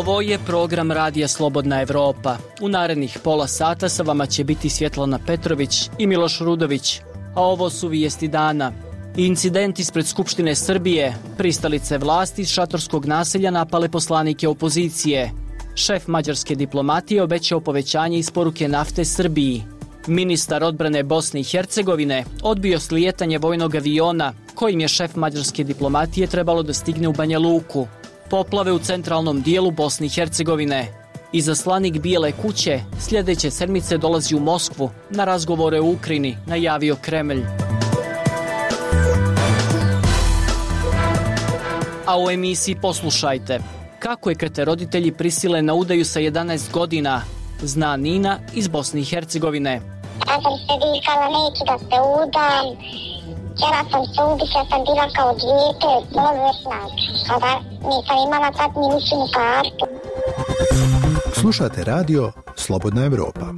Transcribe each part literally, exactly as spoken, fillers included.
Ovo je program Radija Slobodna Evropa. U narednih pola sata sa vama će biti Svjetlana Petrović i Miloš Rudović. A ovo su vijesti dana. Incident ispred Skupštine Srbije. Pristalice vlasti iz šatorskog naselja napale poslanike opozicije. Šef mađarske diplomatije obećao povećanje isporuke nafte Srbiji. Ministar odbrane Bosne i Hercegovine odbio slijetanje vojnog aviona kojim je šef mađarske diplomatije trebalo da stigne u Banja Luku. Poplave u centralnom dijelu Bosne i Hercegovine. Izaslanik Bijele kuće sljedeće sedmice dolazi u Moskvu na razgovore u Ukrajini, najavio Kremlj. A u emisiji poslušajte. Kako je krete roditelji prisile na udaju sa jedanaest godina, zna Nina iz Bosne i Hercegovine. Ja sam se vikala, neću da se udam, htjela sam se ubiti, ja sam bila kao dijete, bolesna, kada nisam imala tad ni ličnu kartu. Slušate radio Slobodna Evropa.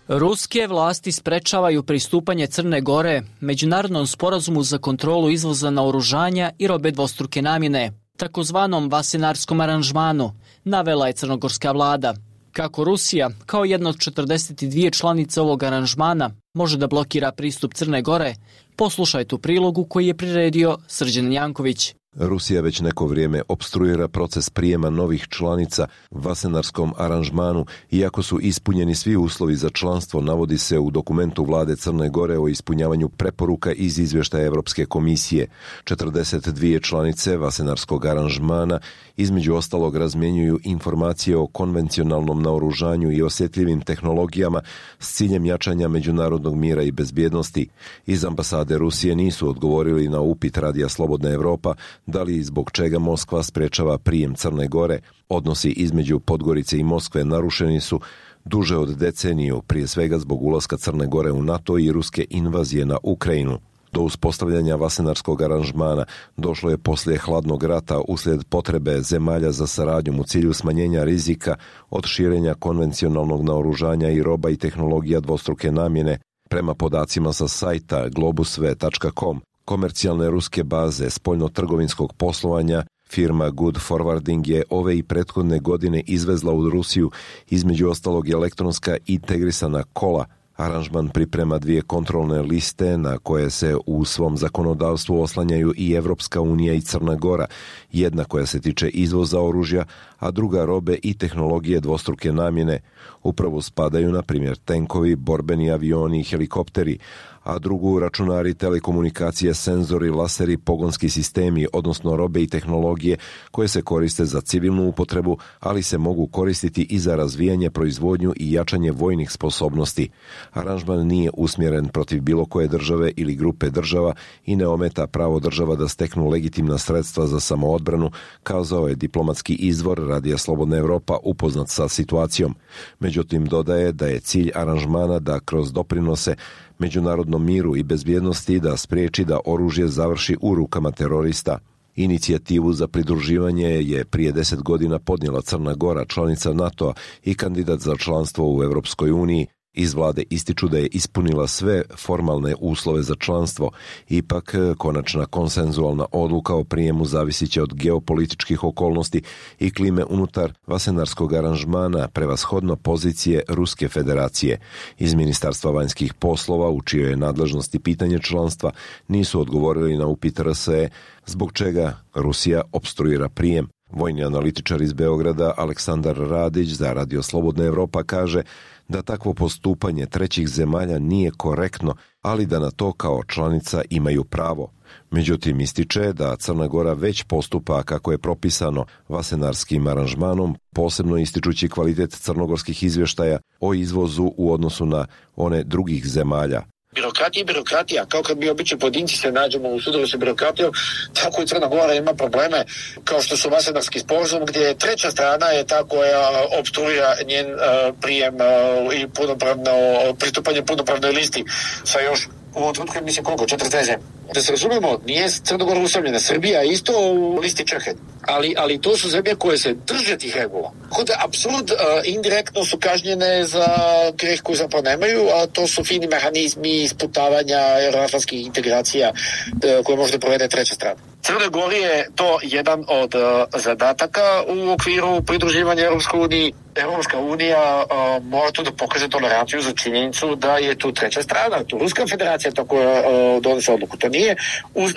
Ruske vlasti sprečavaju pristupanje Crne Gore međunarodnom sporazumu za kontrolu izvoza naoružanja i robe dvostruke namjene, takozvanom Vasenarskom aranžmanu, navela je crnogorska vlada. Kako Rusija, kao jedna od četrdeset dvije članice ovog aranžmana, može da blokira pristup Crne Gore, poslušajte u prilogu koji je priredio Srđan Janković. Rusija već neko vrijeme opstruira proces prijema novih članica Vasenarskom aranžmanu, iako su ispunjeni svi uslovi za članstvo, navodi se u dokumentu vlade Crne Gore o ispunjavanju preporuka iz izvještaja Evropske komisije. četrdeset dvije članice Vasenarskog aranžmana između ostalog razmjenjuju informacije o konvencionalnom naoružanju i osjetljivim tehnologijama s ciljem jačanja međunarodnog mira i bezbjednosti. Iz ambasade Rusije nisu odgovorili na upit Radija Slobodna Evropa da li i zbog čega Moskva sprečava prijem Crne Gore. Odnosi između Podgorice i Moskve narušeni su duže od deceniju, prije svega zbog ulaska Crne Gore u NATO i ruske invazije na Ukrajinu. Do uspostavljanja Vasenarskog aranžmana došlo je poslije hladnog rata uslijed potrebe zemalja za saradnjom u cilju smanjenja rizika od širenja konvencionalnog naoružanja i roba i tehnologija dvostruke namjene. Prema podacima sa sajta globusve tačka com, komercijalne ruske baze spoljno-trgovinskog poslovanja, firma Good Forwarding je ove i prethodne godine izvezla u Rusiju između ostalog elektronska integrisana kola. Aranžman priprema dvije kontrolne liste na koje se u svom zakonodavstvu oslanjaju i Evropska unija i Crna Gora, jedna koja se tiče izvoza oružja, a druga robe i tehnologije dvostruke namjene. Upravo spadaju, na primjer, tenkovi, borbeni avioni i helikopteri, a drugu računari, telekomunikacije, senzori, laseri, pogonski sistemi, odnosno robe i tehnologije koje se koriste za civilnu upotrebu, ali se mogu koristiti i za razvijanje, proizvodnju i jačanje vojnih sposobnosti. Aranžman nije usmjeren protiv bilo koje države ili grupe država i ne ometa pravo država da steknu legitimna sredstva za samoodbranu, kazao je diplomatski izvor Radija Slobodna Evropa upoznat sa situacijom. Međutim, dodaje da je cilj aranžmana da kroz doprinose međunarodnom miru i bezbjednosti da spriječi da oružje završi u rukama terorista. Inicijativu za pridruživanje je prije deset godina podnijela Crna Gora, članica NATO-a i kandidat za članstvo u Europskoj uniji. Iz vlade ističu da je ispunila sve formalne uslove za članstvo, ipak konačna konsenzualna odluka o prijemu zavisit će od geopolitičkih okolnosti i klime unutar Vasenarskog aranžmana, prevashodno pozicije Ruske federacije. Iz Ministarstva vanjskih poslova, u čijoj je nadležnosti pitanje članstva, nisu odgovorili na upit R S E zbog čega Rusija opstruira prijem. Vojni analitičar iz Beograda Aleksandar Radić za Radio Slobodna Evropa kaže da takvo postupanje trećih zemalja nije korektno, ali da na to kao članica imaju pravo. Međutim, ističe da Crna Gora već postupa kako je propisano Vasenarskim aranžmanom, posebno ističući kvalitet crnogorskih izvještaja o izvozu u odnosu na one drugih zemalja. Birokratija i birokratija, kao kad mi obični pojedinci se nađemo u sudovu sa birokratijom, tako i Crna Gora ima probleme kao što su Vasenarski sporazum, gdje treća strana je ta koja opstruira njen uh, prijem uh, i punopravno pristupanje punopravnoj listi sa još u ovom trenutku mislim koliko, četrdeset zemlje. Da se razumemo, nije Crna Gora usamljena. Srbija je isto u listi čekanja. Ali, ali to su zemlje koje se drže tih regula. Tako da, apsurd, indirektno su kažnjene za greh koji zapravo nemaju, a to su fini mehanizmi isputavanja euroatlantskih integracija koje može da provede treća strana. Crnoj Gori je to jedan od uh, zadataka u okviru pridruživanja Europskoj uniji. Europska unija uh, mora tu da pokaže toleranciju za činjenicu da je tu treća strana, tu Ruska federacija tako uh, donese odluku. To nije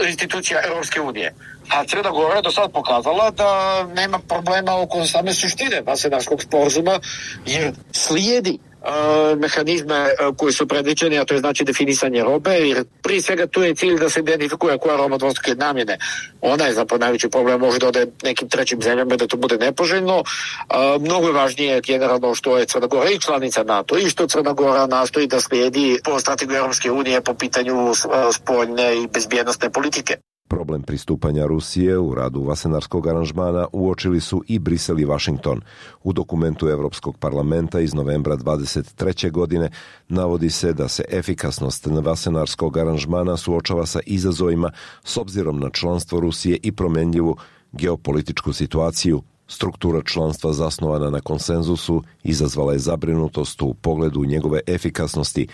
institucija Europske unije. A Crna Gora je do sad pokazala da nema problema oko same suštine Vasenarskog sporazuma, jer slijedi Uh, mehanizme uh, koji su predviđeni, a to je znači definisanje robe, jer prije svega tu je cilj da se identifikuje koja roba dvostruke namjene. Ona je zapravo najveći problem, može da ode nekim trećim zemljama da to bude nepoželjno. Uh, mnogo je važnije generalno što je Crna Gora i članica NATO i što Crna Gora nastoji da slijedi po strategiju Europske unije po pitanju uh, spoljne i bezbjednosne politike. Problem pristupanja Rusije u radu Vasenarskog aranžmana uočili su i Brisel i Washington. U dokumentu Evropskog parlamenta iz novembra dvadeset treće godine navodi se da se efikasnost Vasenarskog aranžmana suočava sa izazovima s obzirom na članstvo Rusije i promjenljivu geopolitičku situaciju. Struktura članstva zasnovana na konsenzusu izazvala je zabrinutost u pogledu njegove efikasnosti.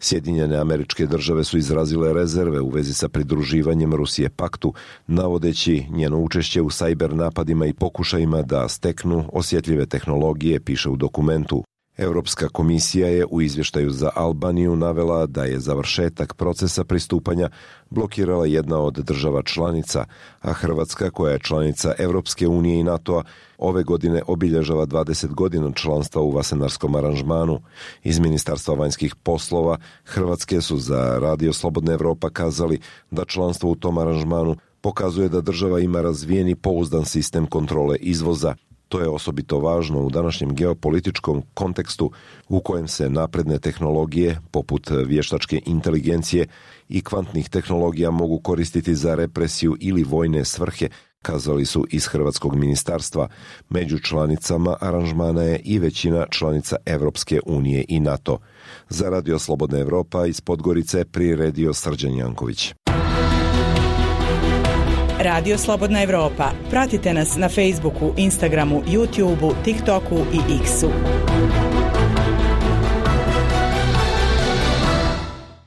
Sjedinjene Američke Države su izrazile rezerve u vezi sa pridruživanjem Rusije paktu, navodeći njeno učešće u sajber napadima i pokušajima da steknu osjetljive tehnologije, piše u dokumentu. Europska komisija je u izvještaju za Albaniju navela da je završetak procesa pristupanja blokirala jedna od država članica, a Hrvatska, koja je članica Europske unije i NATO-a, ove godine obilježava dvadeset godina članstva u Vasenarskom aranžmanu. Iz Ministarstva vanjskih poslova Hrvatske su za Radio Slobodna Evropa kazali da članstvo u tom aranžmanu pokazuje da država ima razvijeni pouzdan sistem kontrole izvoza. To je osobito važno u današnjem geopolitičkom kontekstu u kojem se napredne tehnologije, poput vještačke inteligencije i kvantnih tehnologija, mogu koristiti za represiju ili vojne svrhe, kazali su iz Hrvatskog ministarstva. Među članicama aranžmana je i većina članica Evropske unije i NATO. Za Radio Slobodna Evropa iz Podgorice priredio Srđan Janković. Radio Slobodna Evropa. Pratite nas na Facebooku, Instagramu, YouTubeu, TikToku i X-u.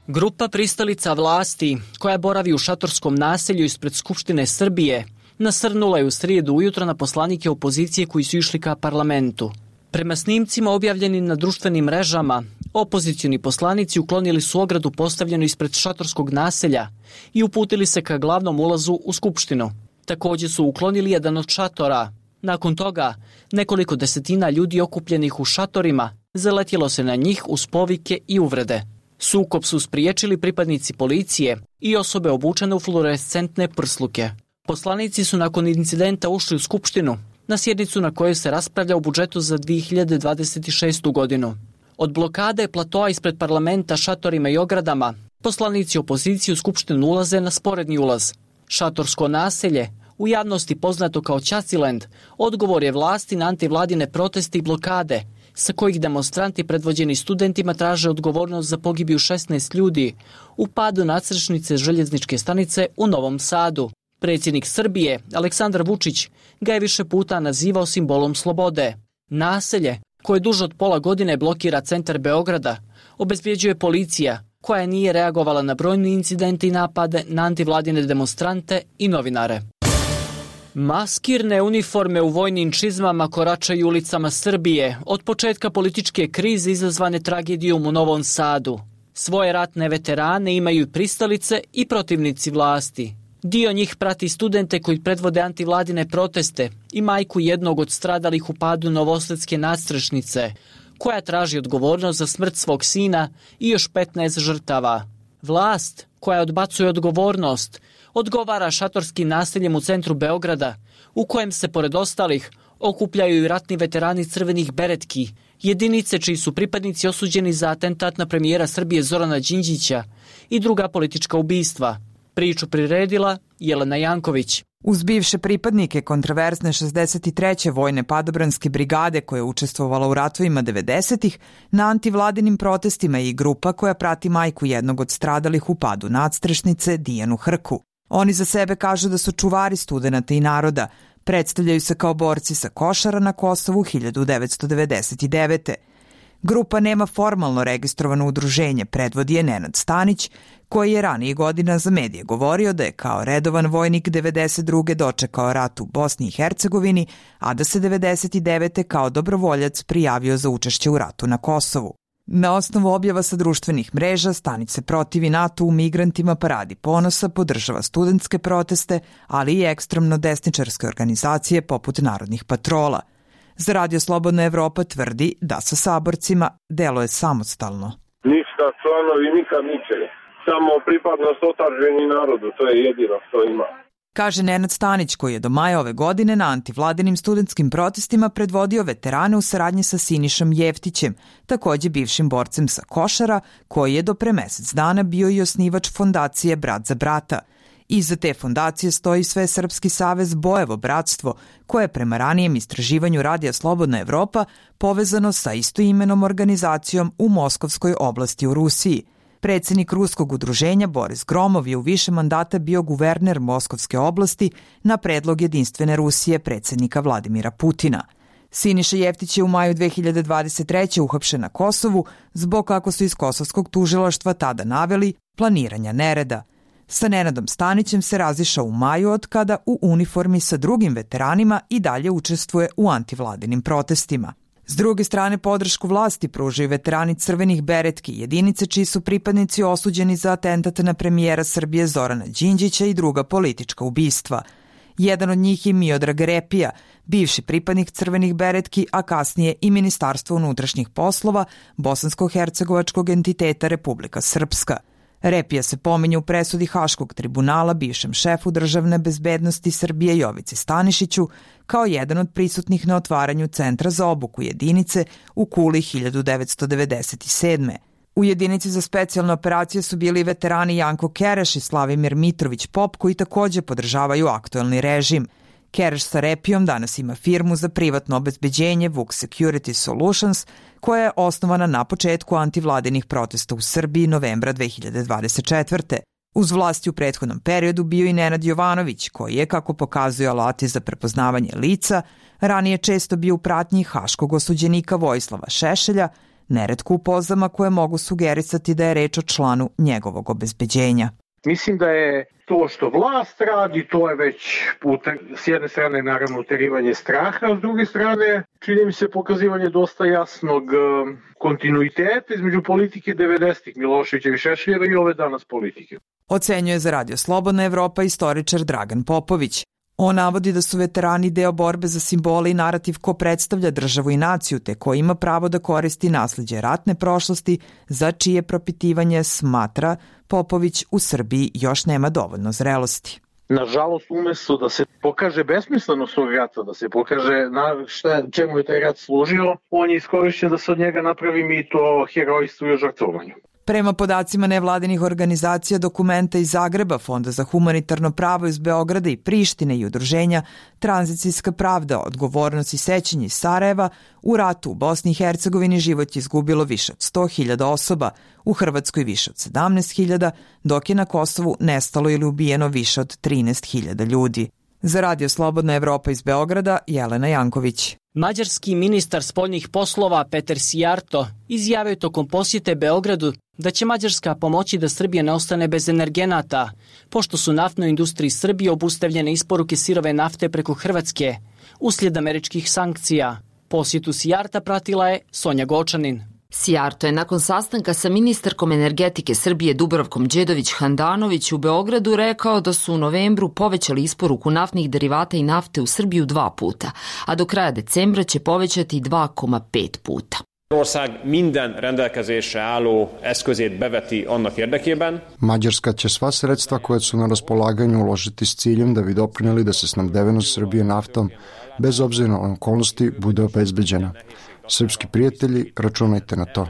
Grupa pristalica vlasti, koja boravi u šatorskom naselju ispred Skupštine Srbije, nasrnula je u srijedu ujutro na poslanike opozicije koji su išli ka parlamentu. Prema snimcima objavljenim na društvenim mrežama, opozicioni poslanici uklonili su ogradu postavljenu ispred šatorskog naselja i uputili se ka glavnom ulazu u Skupštinu. Također su uklonili jedan od šatora. Nakon toga, nekoliko desetina ljudi okupljenih u šatorima zaletjelo se na njih uz povike i uvrede. Sukob su spriječili pripadnici policije i osobe obučene u fluorescentne prsluke. Poslanici su nakon incidenta ušli u Skupštinu, na sjednicu na kojoj se raspravlja o budžetu za dvije hiljade dvadeset šestu godinu. Od blokade platoa ispred parlamenta šatorima i ogradama, poslanici opozicije u Skupštinu ulaze na sporedni ulaz. Šatorsko naselje, u javnosti poznato kao Ćaciland, odgovor je vlasti na antivladine proteste i blokade, sa kojih demonstranti predvođeni studentima traže odgovornost za pogibiju šesnaest ljudi u padu nadstrešnice željezničke stanice u Novom Sadu. Predsjednik Srbije, Aleksandar Vučić, ga je više puta nazivao simbolom slobode. Naselje, koje duže od pola godine blokira centar Beograda, obezbjeđuje policija, koja nije reagovala na brojne incidente i napade na antivladine demonstrante i novinare. Maskirne uniforme u vojnim čizmama koračaju ulicama Srbije od početka političke krize izazvane tragedijom u Novom Sadu. Svoje ratne veterane imaju i pristalice i protivnici vlasti. Dio njih prati studente koji predvode antivladine proteste i majku jednog od stradalih u padu novosadske nadstrešnice, koja traži odgovornost za smrt svog sina i još petnaest žrtava. Vlast, koja odbacuje odgovornost, odgovara šatorskim naseljem u centru Beograda, u kojem se pored ostalih okupljaju i ratni veterani crvenih beretki, jedinice čiji su pripadnici osuđeni za atentat na premijera Srbije Zorana Đinđića i druga politička ubistva. Priču priredila Jelena Janković. Uz bivše pripadnike kontraverzne šezdeset treće vojne padobranske brigade koja je učestvovala u ratovima devedesetih, na antivladinim protestima je i grupa koja prati majku jednog od stradalih u padu nadstrešnice, Dijanu Hrku. Oni za sebe kažu da su čuvari studenata i naroda, predstavljaju se kao borci sa Košara na Kosovu hiljadu devetsto devedeset devete. Grupa nema formalno registrovano udruženje, predvodi je Nenad Stanić, koji je ranije godina za medije govorio da je kao redovan vojnik devedeset druge dočekao rat u Bosni i Hercegovini, a da se devedeset devete kao dobrovoljac prijavio za učešće u ratu na Kosovu. Na osnovu objava sa društvenih mreža, Stanić se protivi NATO u migrantima, Paradi ponosa, podržava studentske proteste, ali i ekstremno desničarske organizacije poput Narodnih patrola. Za Radio Slobodna Evropa tvrdi da sa saborcima deluje samostalno. Ništa članovi nikad ničega. Samo pripadnost otadžbini narodu, to je jedino što ima. Kaže Nenad Stanić, koji je do maja ove godine na antivladinim studentskim protestima predvodio veterane u saradnji sa Sinišom Jeftićem, takođe bivšim borcem sa Košara, koji je do pre mesec dana bio i osnivač fondacije Brat za brata. Iza te fondacije stoji Svesrpski savez Bojevo bratstvo, koje je prema ranijem istraživanju Radija Slobodna Evropa povezano sa istoimenom organizacijom u Moskovskoj oblasti u Rusiji. Predsednik ruskog udruženja Boris Gromov je u više mandata bio guverner Moskovske oblasti na predlog Jedinstvene Rusije predsednika Vladimira Putina. Siniša Jeftić je u maju dve hiljade dvadeset treće uhapšen na Kosovu zbog, kako su iz kosovskog tužilaštva tada naveli, planiranja nereda. Sa Nenadom Stanićem se razišao u maju od kada u uniformi sa drugim veteranima i dalje učestvuje u antivladinim protestima. S druge strane, podršku vlasti pružaju veterani Crvenih beretki, jedinice čiji su pripadnici osuđeni za atentat na premijera Srbije Zorana Đinđića i druga politička ubistva. Jedan od njih je Miodrag Repija, bivši pripadnik Crvenih beretki, a kasnije i Ministarstvo unutrašnjih poslova bosansko-hercegovačkog entiteta Republika Srpska. Repija se pominje u presudi Haškog tribunala bivšem šefu državne bezbednosti Srbije Jovici Stanišiću kao jedan od prisutnih na otvaranju Centra za obuku jedinice u Kuli hiljadu devetsto devedeset sedme. U jedinici za specijalne operacije su bili veterani Janko Kereš i Slavimir Mitrović Pop, koji takođe podržavaju aktuelni režim. Kereš sa Repijom danas ima firmu za privatno obezbeđenje Vuk Security Solutions, koja je osnovana na početku antivladinih protesta u Srbiji novembra dve hiljade dvadeset četvrte. Uz vlasti u prethodnom periodu bio i Nenad Jovanović, koji je, kako pokazuje alati za prepoznavanje lica, ranije često bio u pratnji haškog osuđenika Vojislava Šešelja, neretko u pozama koje mogu sugerisati da je reč o članu njegovog obezbeđenja. Mislim da je to što vlast radi, to je već s jedne strane naravno uterivanje straha, a s druge strane čini mi se pokazivanje dosta jasnog kontinuiteta između politike devedesetih Miloševićeva i Šešeljeva i ove danas politike. Ocenjuje za Radio Slobodna Evropa istoričar Dragan Popović. On navodi da su veterani deo borbe za simbole i narativ ko predstavlja državu i naciju, te ko ima pravo da koristi nasleđe ratne prošlosti, za čije propitivanje, smatra Popović, u Srbiji još nema dovoljno zrelosti. Nažalost, umesto da se pokaže besmislenost tog rata, da se pokaže na šta, čemu je taj rat služio, on je iskorišćen da se od njega napravi mito herojstvu i žrtvovanju. Prema podacima nevladinih organizacija, dokumenta iz Zagreba, Fonda za humanitarno pravo iz Beograda i Prištine i udruženja Tranzicijska pravda, odgovornost i sećanje iz Sarajeva, u ratu u Bosni i Hercegovini život je izgubilo više od sto hiljada osoba, u Hrvatskoj više od sedamnaest hiljada, dok je na Kosovu nestalo ili ubijeno više od trinaest hiljada ljudi. Za Radio Slobodna Evropa iz Beograda, Jelena Janković. Mađarski ministar spoljnih poslova Peter Sijarto izjavio tokom posjete Beogradu da će Mađarska pomoći da Srbija ne ostane bez energenata, pošto su naftnoj industriji Srbije obustavljene isporuke sirove nafte preko Hrvatske, uslijed američkih sankcija. Posjetu Sijarta pratila je Sonja Gočanin. Sijarto je nakon sastanka sa ministarkom energetike Srbije Dubravkom Đedović-Handanović u Beogradu rekao da su u novembru povećali isporuku naftnih derivata i nafte u Srbiju dva puta, a do kraja decembra će povećati dva zarez pet puta. Mađarska će sva sredstva koje su na raspolaganju uložiti s ciljem da bi doprineli da se snabdevenost Srbije naftom, bez obzira na okolnosti, bude obezbeđena. Srpski prijatelji, računajte na to.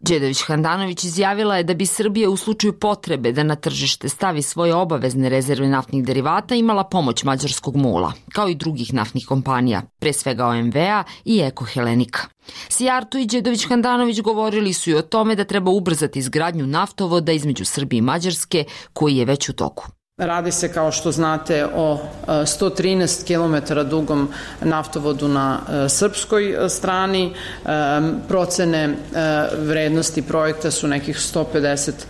Đedović-Handanović izjavila je da bi Srbija u slučaju potrebe da na tržište stavi svoje obavezne rezerve naftnih derivata imala pomoć mađarskog MOL-a, kao i drugih naftnih kompanija, pre svega O M V-a i Eko Helenika. Sijarto i Đedović-Handanović govorili su i o tome da treba ubrzati izgradnju naftovoda između Srbije i Mađarske, koji je već u toku. Radi se, kao što znate, o sto trinaest kilometara dugom naftovodu na srpskoj strani. Procene vrednosti projekta su nekih sto pedeset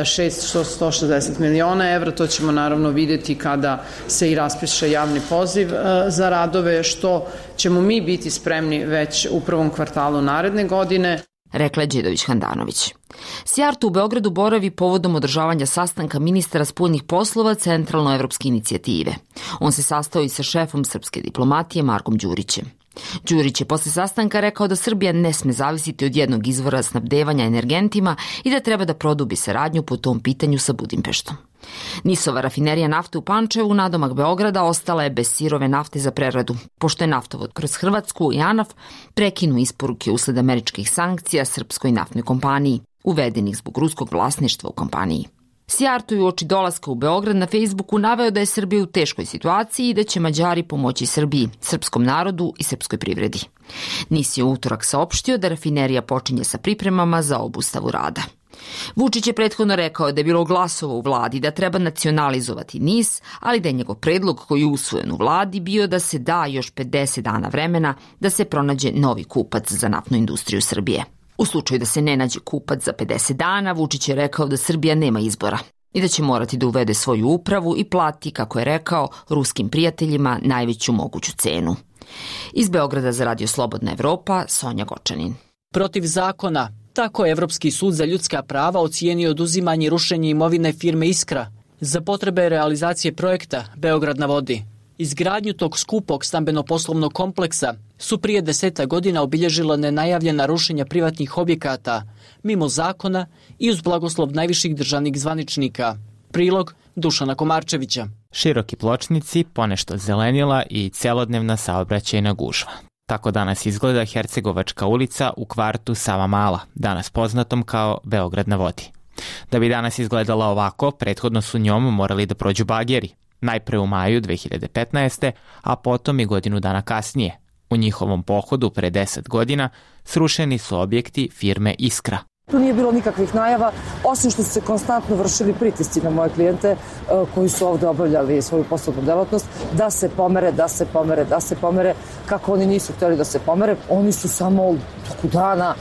šest do sto šezdeset miliona evra. To ćemo naravno vidjeti kada se i raspiše javni poziv za radove, što ćemo mi biti spremni već u prvom kvartalu naredne godine, rekla je Đedović-Handanović. Sijarto u Beogradu boravi povodom održavanja sastanka ministara spoljnih poslova Centralnoevropske inicijative. On se sastao i sa šefom srpske diplomatije Markom Đurićem. Đurić je posle sastanka rekao da Srbija ne sme zavisiti od jednog izvora snabdevanja energentima i da treba da produbi saradnju po tom pitanju sa Budimpeštom. Nisova rafinerija nafte u Pančevu, nadomak Beograda, ostala je bez sirove nafte za preradu, pošto je naftovod kroz Hrvatsku i ANAF prekinuo isporuke usled američkih sankcija srpskoj naftnoj kompaniji, uvedenih zbog ruskog vlasništva u kompaniji. Sijarto je uoči dolaska u Beograd na Facebooku naveo da je Srbija u teškoj situaciji i da će Mađari pomoći Srbiji, srpskom narodu i srpskoj privredi. Nis je u utorak saopštio da rafinerija počinje sa pripremama za obustavu rada. Vučić je prethodno rekao da je bilo glasova u vladi da treba nacionalizovati Nis, ali da je njegov predlog koji je usvojen u vladi bio da se da još pedeset dana vremena da se pronađe novi kupac za naftnu industriju Srbije. U slučaju da se ne nađe kupac za pedeset dana, Vučić je rekao da Srbija nema izbora i da će morati da uvede svoju upravu i plati, kako je rekao, ruskim prijateljima najveću moguću cenu. Iz Beograda za Radio Slobodna Evropa, Sonja Gočanin. Protiv zakona, tako je Evropski sud za ljudska prava ocijenio oduzimanje i rušenje imovine firme Iskra za potrebe realizacije projekta Beograd na vodi. Izgradnju tog skupog stambeno-poslovnog kompleksa su prije deseta godina obilježila nenajavljena rušenja privatnih objekata, mimo zakona i uz blagoslov najviših državnih zvaničnika. Prilog Dušana Komarčevića. Široki pločnici, ponešto zelenila i celodnevna saobraćajna gužva. Tako danas izgleda Hercegovačka ulica u kvartu Savamala, danas poznatom kao Beograd na vodi. Da bi danas izgledala ovako, prethodno su njom morali da prođu bageri. Najpre u maju dve hiljade petnaeste. a potom i godinu dana kasnije. U njihovom pohodu pre deset godina srušeni su objekti firme Iskra. Tu nije bilo nikakvih najava, osim što su se konstantno vršili pritisci na moje klijente koji su ovde obavljali svoju poslovnu delatnost, da se pomere, da se pomere, da se pomere. Kako oni nisu hteli da se pomere, oni su samo u toku dana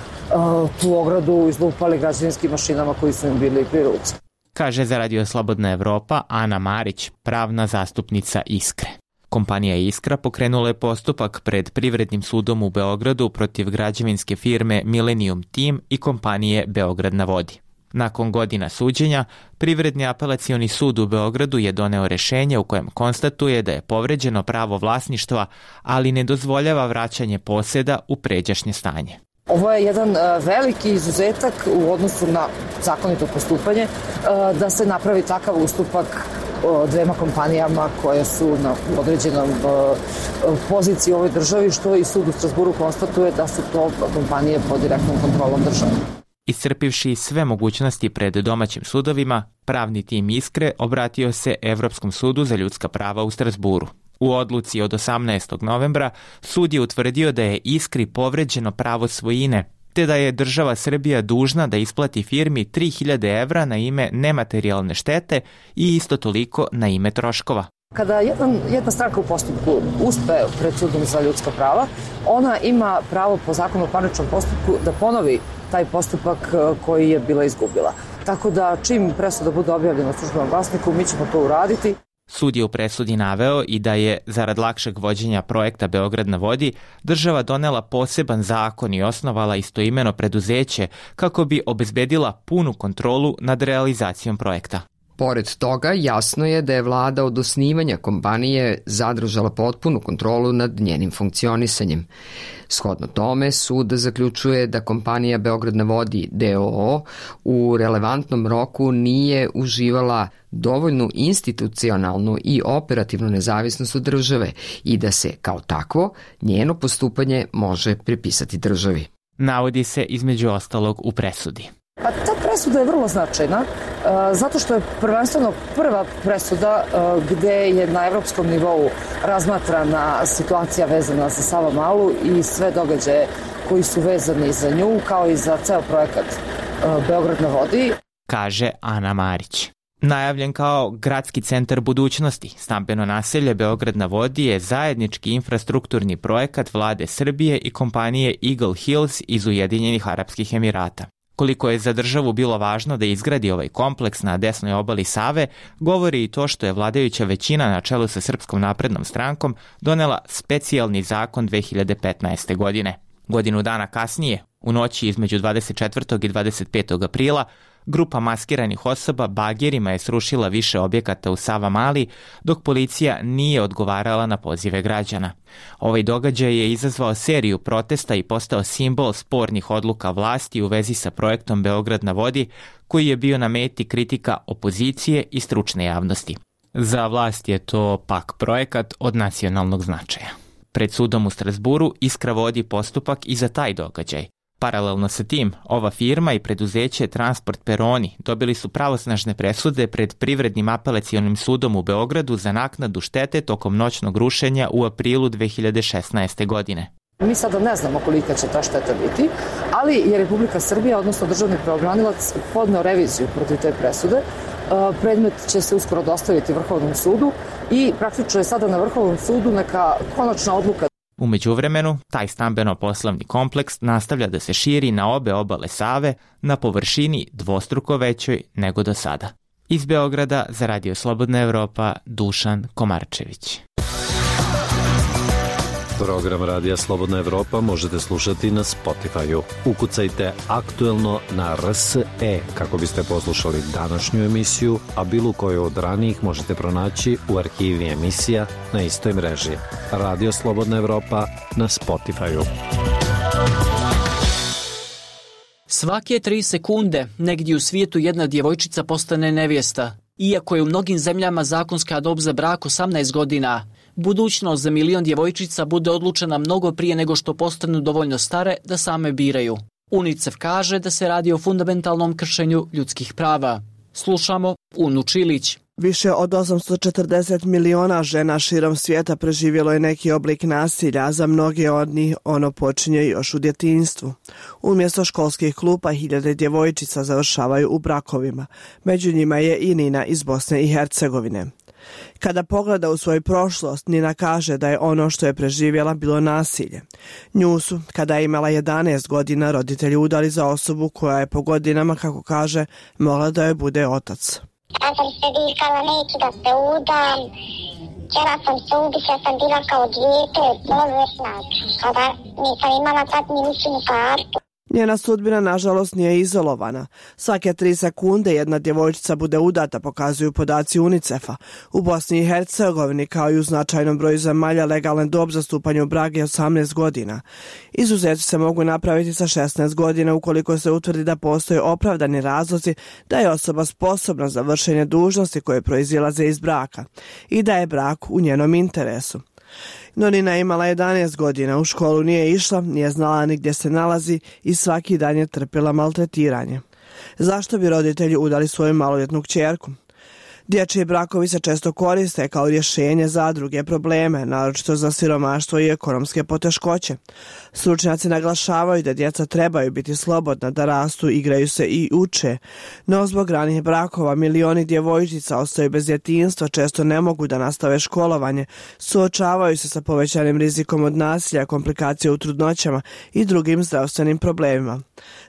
tu ogradu izlupali građevinskim mašinama koji su im bili pri ruci. Kaže za Radio Slobodna Evropa Ana Marić, pravna zastupnica Iskre. Kompanija Iskra pokrenula je postupak pred Privrednim sudom u Beogradu protiv građevinske firme Millennium Team i kompanije Beograd na vodi. Nakon godina suđenja, Privredni apelacioni sud u Beogradu je doneo rešenje u kojem konstatuje da je povređeno pravo vlasništva, ali ne dozvoljava vraćanje poseda u pređašnje stanje. Ovo je jedan veliki izuzetak u odnosu na zakonito postupanje, da se napravi takav ustupak dvema kompanijama koje su na određenom poziciji u ovoj državi, što i sud u Strasburu konstatuje da su to kompanije pod direktnom kontrolom države. Iscrpivši sve mogućnosti pred domaćim sudovima, pravni tim Iskre obratio se Evropskom sudu za ljudska prava u Strasburu. U odluci od osamnaestog novembra sud je utvrdio da je Iskri povređeno pravo svojine, te da je država Srbija dužna da isplati firmi tri hiljade evra na ime nematerijalne štete i isto toliko na ime troškova. Kada jedan, jedna stranka u postupku uspe pred sudom za ljudska prava, ona ima pravo po zakonu o parničnom postupku da ponovi taj postupak koji je bila izgubila. Tako da čim presuda bude objavljena u Službenom glasniku, mi ćemo to uraditi. Sud je u presudi naveo i da je, zarad lakšeg vođenja projekta Beograd na vodi, država donela poseban zakon i osnovala istoimeno preduzeće kako bi obezbedila punu kontrolu nad realizacijom projekta. Pored toga, jasno je da je vlada od osnivanja kompanije zadržala potpunu kontrolu nad njenim funkcionisanjem. Shodno tome, sud zaključuje da kompanija Beograd na vodi d o o u relevantnom roku nije uživala dovoljnu institucionalnu i operativnu nezavisnost od države i da se, kao takvo, njeno postupanje može pripisati državi. navodi se između ostalog u presudi. Pa ta presuda je vrlo značajna, zato što je prvenstveno prva presuda gde je na evropskom nivou razmatrana situacija vezana za Savamalu i sve događaje koji su vezani za nju, kao i za ceo projekat Beograd na vodi, kaže Ana Marić. Najavljen kao gradski centar budućnosti, stambeno naselje Beograd na vodi je zajednički infrastrukturni projekat vlade Srbije i kompanije Eagle Hills iz Ujedinjenih Arapskih Emirata. Koliko je za državu bilo važno da izgradi ovaj kompleks na desnoj obali Save, govori i to što je vladajuća većina na čelu sa Srpskom naprednom strankom donela specijalni zakon dve hiljade petnaeste. godine. Godinu dana kasnije, u noći između dvadeset četvrtog i dvadeset petog aprila, grupa maskiranih osoba bagerima je srušila više objekata u Savamali, dok policija nije odgovarala na pozive građana. Ovaj događaj je izazvao seriju protesta i postao simbol spornih odluka vlasti u vezi sa projektom Beograd na vodi, koji je bio na meti kritika opozicije i stručne javnosti. Za vlast je to pak projekat od nacionalnog značaja. Pred sudom u Strasburu Iskra vodi postupak i za taj događaj. Paralelno sa tim, ova firma i preduzeće Transport Peroni dobili su pravosnažne presude pred Privrednim apelacionim sudom u Beogradu za naknadu štete tokom noćnog rušenja u aprilu dve hiljade šesnaeste. godine. Mi sada ne znamo kolika će ta šteta biti, ali je Republika Srbija, odnosno državni pravobranilac, podneo reviziju protiv te presude. Predmet će se uskoro dostaviti Vrhovnom sudu i praktično je sada na Vrhovnom sudu neka konačna odluka. U međuvremenu, taj stambeno-poslovni kompleks nastavlja da se širi na obe obale Save na površini dvostruko većoj nego do sada. Iz Beograda za Radio Slobodna Evropa, Dušan Komarčević. Program Radija Slobodna Evropa možete slušati na Spotify-u. Ukucajte aktuelno na R S E kako biste poslušali današnju emisiju, a bilo koju od ranijih možete pronaći u arhivi emisija na istoj mreži. Radio Slobodna Evropa na Spotify-u. Svake tri sekunde negdje u svijetu jedna djevojčica postane nevjesta. Iako je u mnogim zemljama zakonska dob za brak osamnaest godina, budućnost za milion djevojčica bude odlučena mnogo prije nego što postanu dovoljno stare da same biraju. UNICEF kaže da se radi o fundamentalnom kršenju ljudskih prava. Slušamo Unu Čilić. Više od osamsto četrdeset miliona žena širom svijeta preživjelo je neki oblik nasilja, a za mnoge od njih ono počinje još u djetinjstvu. Umjesto školskih klupa hiljade djevojčica završavaju u brakovima. Među njima je i Nina iz Bosne i Hercegovine. Kada pogleda u svoju prošlost, Nina kaže da je ono što je preživjela bilo nasilje. Nju su, kada je imala jedanaest godina, roditelji udali za osobu koja je po godinama, kako kaže, mogla da joj bude otac. Ja sam se vikala, neću da se udam, htjela sam se ubiti, ja sam bila kao dijete, bolesna, kada nisam imala tad ni ličnu kartu. Njena sudbina, nažalost, nije izolovana. Svake tri sekunde jedna djevojčica bude udata, pokazuju podaci UNICEF-a. U Bosni i Hercegovini, kao i u značajnom broju zemalja, legalan dob za stupanje u brak je osamnaest godina. Izuzeci se mogu napraviti sa šesnaest godina ukoliko se utvrdi da postoje opravdani razlozi da je osoba sposobna za vršenje dužnosti koje proizilaze iz braka i da je brak u njenom interesu. No Nina je imala jedanaest godina, u školu nije išla, nije znala ni gdje se nalazi i svaki dan je trpjela maltretiranje. Zašto bi roditelji udali svoju maloljetnu kćerku? Dječji brakovi se često koriste kao rješenje za druge probleme, naročito za siromaštvo i ekonomske poteškoće. Stručnjaci naglašavaju da djeca trebaju biti slobodna, da rastu, igraju se i uče. No zbog ranih brakova milioni djevojčica ostaju bez djetinjstva, često ne mogu da nastave školovanje, suočavaju se sa povećanim rizikom od nasilja, komplikacija u trudnoćama i drugim zdravstvenim problemima.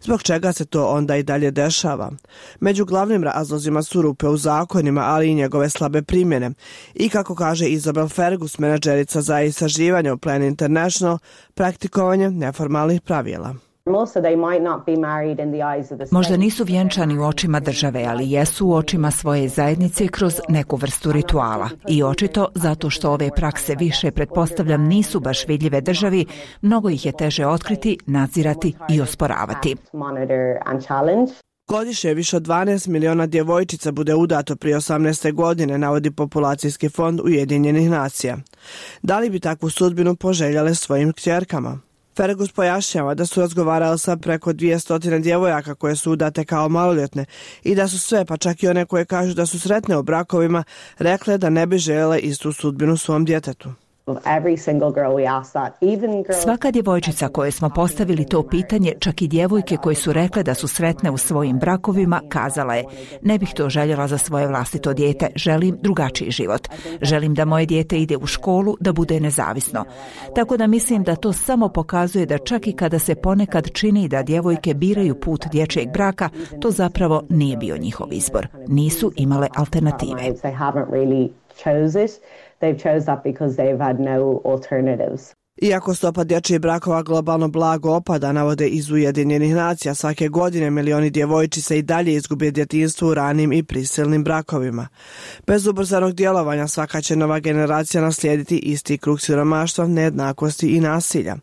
Zbog čega se to onda i dalje dešava? Među glavnim razlozima su rupe u zakonima, ali i njegove slabe primjene. I kako kaže Isabel Fergus, menadžerica za istraživanje u Plan International, praktikovanje neformalnih pravila. Možda nisu vjenčani u očima države, ali jesu u očima svoje zajednice kroz neku vrstu rituala. I očito, zato što ove prakse više, pretpostavljam, nisu baš vidljive državi, mnogo ih je teže otkriti, nadzirati i osporavati. Godišnje više od dvanaest miliona djevojčica bude udato prije osamnaeste godine, navodi Populacijski fond Ujedinjenih nacija. Da li bi takvu sudbinu poželjale svojim kćerkama? Fergus pojašnjava da su razgovarali sa preko dvjesto djevojaka koje su udate kao maloljetne i da su sve, pa čak i one koje kažu da su sretne u brakovima, rekle da ne bi željele istu sudbinu svom djetetu. Svaka djevojčica koje smo postavili to pitanje, čak i djevojke koje su rekle da su sretne u svojim brakovima, kazala je: ne bih to željela za svoje vlastito dijete, želim drugačiji život. Želim da moje dijete ide u školu, da bude nezavisno. Tako da mislim da to samo pokazuje da čak i kada se ponekad čini da djevojke biraju put dječjeg braka, to zapravo nije bio njihov izbor. Nisu imale alternative. They've chose that because they've had no alternatives. Iako stopa dječjih brakova globalno blago opada, navode iz Ujedinjenih nacija, svake godine milioni djevojčica i dalje izgube djetinjstvo u ranim i prisilnim brakovima. Bez ubrzanog djelovanja svaka će nova generacija naslijediti isti krug siromaštva, nejednakosti i nasilja.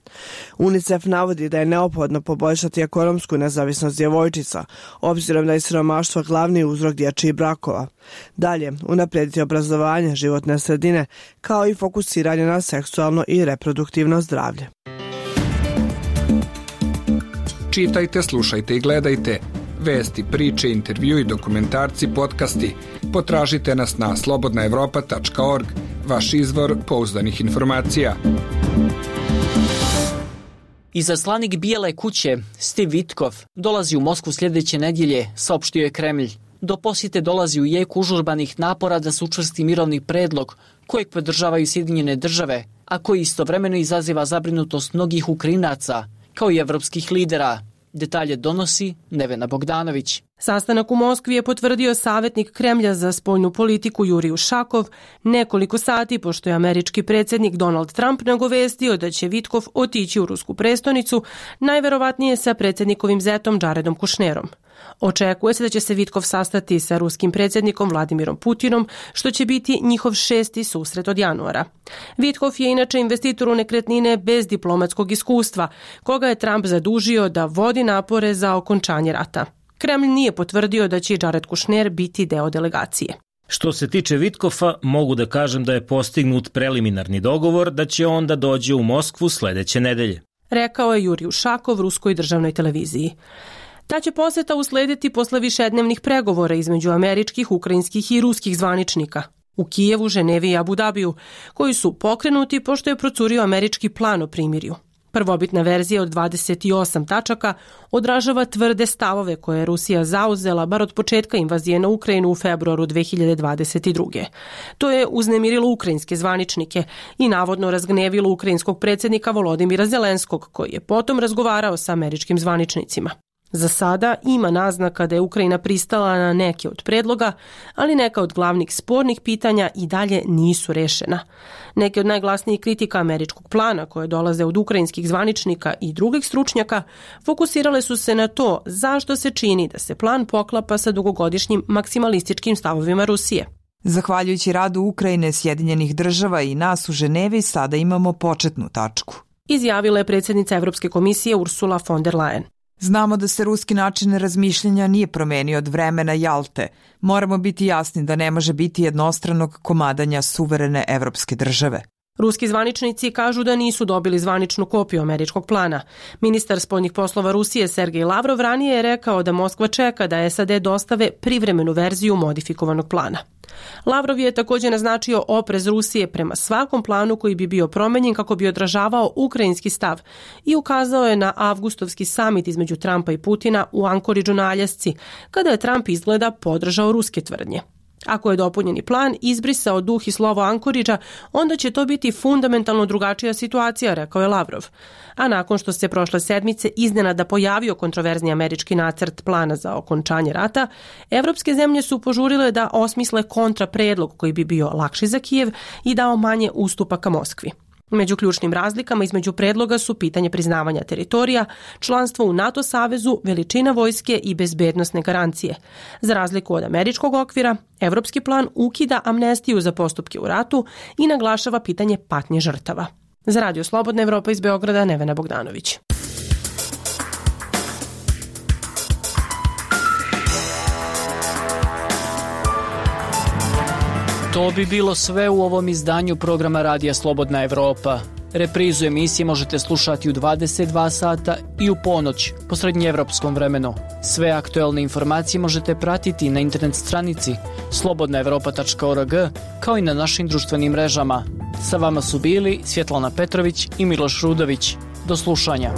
UNICEF navodi da je neophodno poboljšati ekonomsku nezavisnost djevojčica, obzirom da je siromaštvo glavni uzrok dječjih brakova. Dalje, unaprijediti obrazovanje, životne sredine, kao i fokusiranje na seksualno i reproduktivno zdravlje. Čitajte, slušajte i gledajte vesti, priče, intervju i dokumentarci, podcasti. Potražite nas na slobodna evropa tačka org, vaš izvor pouzdanih informacija. Izaslanik Bijele kuće Steve Witkoff dolazi u Moskvu sljedeće nedjelje, saopštio je Kremlj. Do posjete dolazi u jeku užurbanih napora da se učvrsti mirovni predlog kojeg podržavaju Sjedinjene države, a koji istovremeno izaziva zabrinutost mnogih Ukrajinaca, kao i evropskih lidera. Detalje donosi Nevena Bogdanović. Sastanak u Moskvi je potvrdio savjetnik Kremlja za spoljnu politiku Jurij Ušakov nekoliko sati pošto je američki predsjednik Donald Trump nagovestio da će Witkoff otići u rusku prestonicu, najverovatnije sa predsjednikovim zetom Jaredom Kushnerom. Očekuje se da će se Witkoff sastati sa ruskim predsjednikom Vladimirom Putinom, što će biti njihov šesti susret od januara. Witkoff je inače investitor u nekretnine bez diplomatskog iskustva, koga je Trump zadužio da vodi napore za okončanje rata. Kremlj nije potvrdio da će Jared Kushner biti deo delegacije. Što se tiče Witkoffa, mogu da kažem da je postignut preliminarni dogovor da će on da dođe u Moskvu sljedeće nedelje, rekao je Jurij Ušakov ruskoj državnoj televiziji. Ta će posjeta uslediti posle višednevnih pregovora između američkih, ukrajinskih i ruskih zvaničnika u Kijevu, Ženevi i Abu Dabiju, koji su pokrenuti pošto je procurio američki plan o primirju. Prvobitna verzija od dvadeset osam tačaka odražava tvrde stavove koje je Rusija zauzela bar od početka invazije na Ukrajinu u februaru dve hiljade dvadeset druge. To je uznemirilo ukrajinske zvaničnike i navodno razgnevilo ukrajinskog predsjednika Volodimira Zelenskog, koji je potom razgovarao sa američkim zvaničnicima. Za sada ima naznaka da je Ukrajina pristala na neke od predloga, ali neka od glavnih spornih pitanja i dalje nisu rešena. Neke od najglasnijih kritika američkog plana, koje dolaze od ukrajinskih zvaničnika i drugih stručnjaka, fokusirale su se na to zašto se čini da se plan poklapa sa dugogodišnjim maksimalističkim stavovima Rusije. Zahvaljujući radu Ukrajine, Sjedinjenih država i nas u Ženevi, sada imamo početnu tačku, izjavila je predsjednica Evropske komisije Ursula von der Leyen. Znamo da se ruski način razmišljanja nije promenio od vremena Jalte. Moramo biti jasni da ne može biti jednostranog komadanja suverene evropske države. Ruski zvaničnici kažu da nisu dobili zvaničnu kopiju američkog plana. Ministar spoljnih poslova Rusije Sergej Lavrov ranije je rekao da Moskva čeka da S A D dostave privremenu verziju modifikovanog plana. Lavrov je također naznačio oprez Rusije prema svakom planu koji bi bio promenjen kako bi odražavao ukrajinski stav i ukazao je na avgustovski samit između Trumpa i Putina u Ankoridžu na Aljasci, kada je Trump izgleda podržao ruske tvrdnje. Ako je dopunjeni plan izbrisao duh i slovo Ankoridža, onda će to biti fundamentalno drugačija situacija, rekao je Lavrov. A nakon što se prošle sedmice iznenada pojavio kontroverzni američki nacrt plana za okončanje rata, evropske zemlje su požurile da osmisle kontrapredlog koji bi bio lakši za Kijev i dao manje ustupaka Moskvi. Među ključnim razlikama između predloga su pitanje priznavanja teritorija, članstvo u NATO savezu, veličina vojske i bezbednosne garancije. Za razliku od američkog okvira, evropski plan ukida amnestiju za postupke u ratu i naglašava pitanje patnje žrtava. Za Radio Slobodna Evropa iz Beograda, Nevena Bogdanović. To bi bilo sve u ovom izdanju programa Radija Slobodna Evropa. Reprizu emisije možete slušati u dvadeset dva sata i u ponoć po srednjeevropskom vremenu. Sve aktuelne informacije možete pratiti na internet stranici slobodna evropa tačka org kao i na našim društvenim mrežama. Sa vama su bili Svjetlana Petrović i Miloš Rudović. Do slušanja.